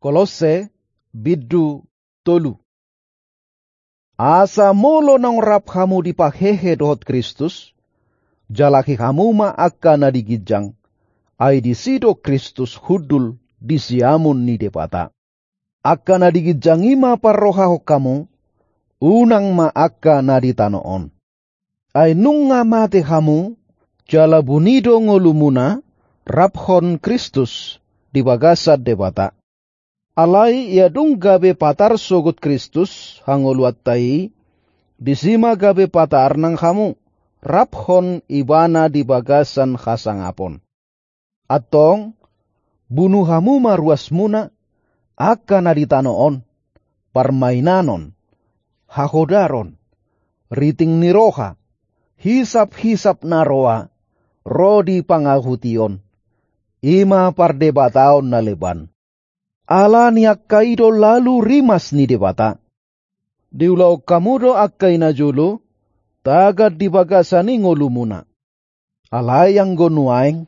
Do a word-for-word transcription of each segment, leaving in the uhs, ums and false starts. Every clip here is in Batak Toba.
Kolosse, bindu tolu. Asa molo naung rap hamu dipahehe dohot Kristus, jalahi hamu ma angka na di ginjang, ai disi do Kristus hundul di siamun ni Debata. Angka na di ginjang i ma parrohahon hamu, unang ma angka na di tano on. Ai nunga mate hamu, jala buni do ngolumuna, raphon Kristus di bagasan Debata. Alai ia dung gabe patar sogot Kristus hangoluanta i, disi ma gabe patar nang hamu, raphon Ibana di bagasan hasangapon. Antong, bunu hamu ma ruasmuna, angka na di tano on, parmainanon, hahodaron, riting ni roha, hisap-hisap na roa, ro di pangahution, i ma pardebataon na leban. Ala ni angka i do lalu rimas ni Debata. Diulahon hamu do angka i najolo, tagan di bagasan i ngolumuna. Alai anggo nuaeng,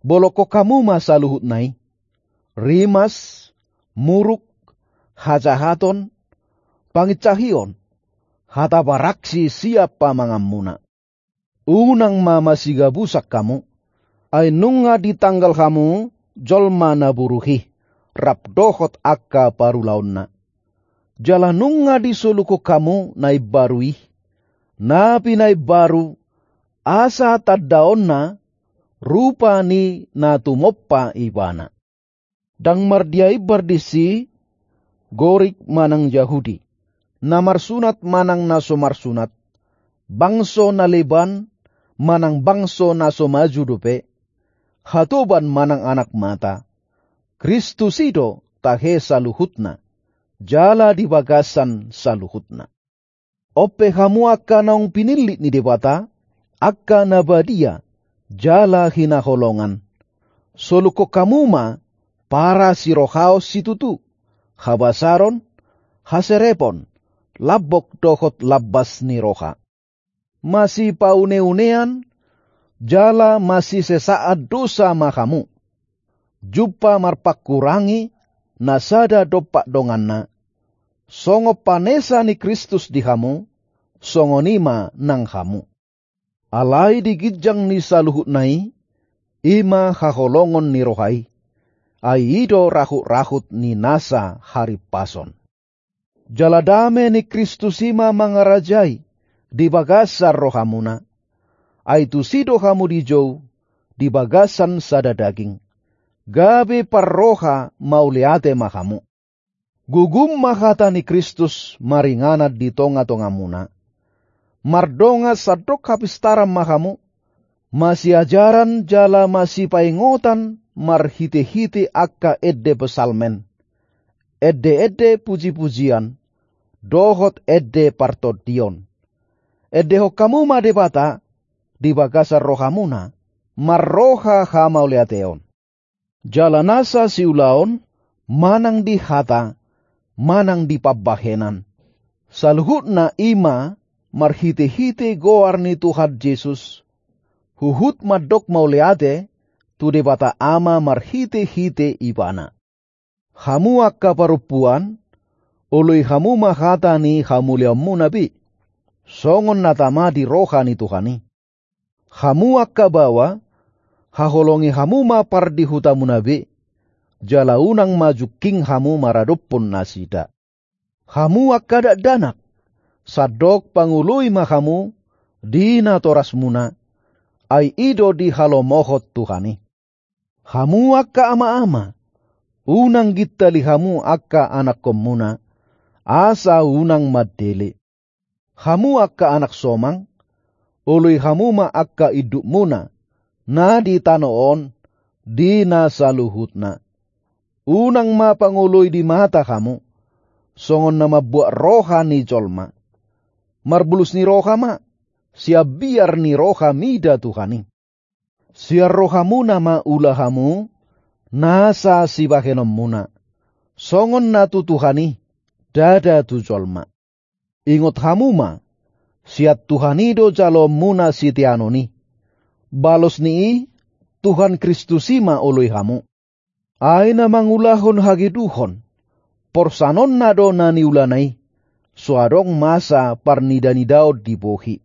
bolongkon hamu ma saluhutna i. Rimas, muruk, hajahaton, panginsahion, hata baraksi sian pamanganmuna. Unang ma masigabusan hamu, ai nunga ditanggal hamu jolma na buruk i, rap dohot angka parulaonna. Jala nunga disolukhon hamu na imbaru i, na pinaimbaru, asa tandaonna rupa ni na tumompa Ibana. Ndang mardia imbar disi, Gorik manang Jahudi, na marsunat manang na so marsunat, bangso na leban manang bangso na so maju dope, hatoban manang anak mata, Kristus i do tahe saluhutna, jala di bagasan saluhutna. On pe hamu angka naung pinillit ni Debata, angka na badia, jala hinaholongan. Solukhon hamu ma parasirohaon situtu, habasaron, haserepon, lambok dohot lambas ni roha. Masipauneunean, jala masisesaan dosa ma hamu. Jumpa marpangkurangi na sada dompak donganna. Songon panesa ni Kristus di hamu, songon i ma nang hamu. Alai di ginjang ni saluhutna i, i ma haholongon ni roha i, ai i do rahut-rahut ni nasa harimpason. Jala dame ni Kristus i ma mangarajai di bagasan rohamuna. Ai tusi do hamu dijou di bagasan sada daging, gabe parroha mauliate ma hamu. Gugum ma hata ni Kristus maringanan di tonga-tongamuna. Mardongan sandok hapistaran ma hamu, masiajaran jala masipaingotan marhite-hite angka ende psalmen, ende-ende puji-pujian, dohot ende partondion. Endehon hamu ma Debata di bagasan rohamuna, marroha hamauliateon. Jala nasa siulaon, manang di hata, manang di pambahenan, saluhutna i ma marhite-hite goar ni Tuhan Jesus, huhut mandok mauliate tu Debata Ama marhite-hite Ibana. Hamu angka parompuan, oloi hamu ma hata ni hamuliaonmuna be, songon na tama di roha ni Tuhan i. Hamu angka baoa, haholongi hamu ma pardihutamuna be, jala unang ma jungking hamu maradophon nasida. Hamu angka dakdanak, sandok pangoloi ma hamu di natorasmuna, ai i do dihalomohon Tuhan i. Hamu angka ama-ama, unang gintali hamu angka anakkonmuna, asa unang mandele. Hamu angka anak somang, oloi hamu ma angka indukmuna, na di tano on, di na saluhutna. Unang ma pangoloi di mata hamu, songon na mambuat roha ni jolma. Marbulus ni roha ma, sian biar ni roha mida Tuhan i. Sian rohamuna ma ula hamu, nasa sibahenonmuna, songon na tu Tuhan i, ndada tu jolma. Ingot hamu ma, sian Tuhan i do jaloonmuna siteanon i. Balos ni i, Tuhan Kristus i ma oloi hamu. Ai na mangulahon hageduhon, porsanonna do na niulana i, so adong masa parnidanidaon di bohi.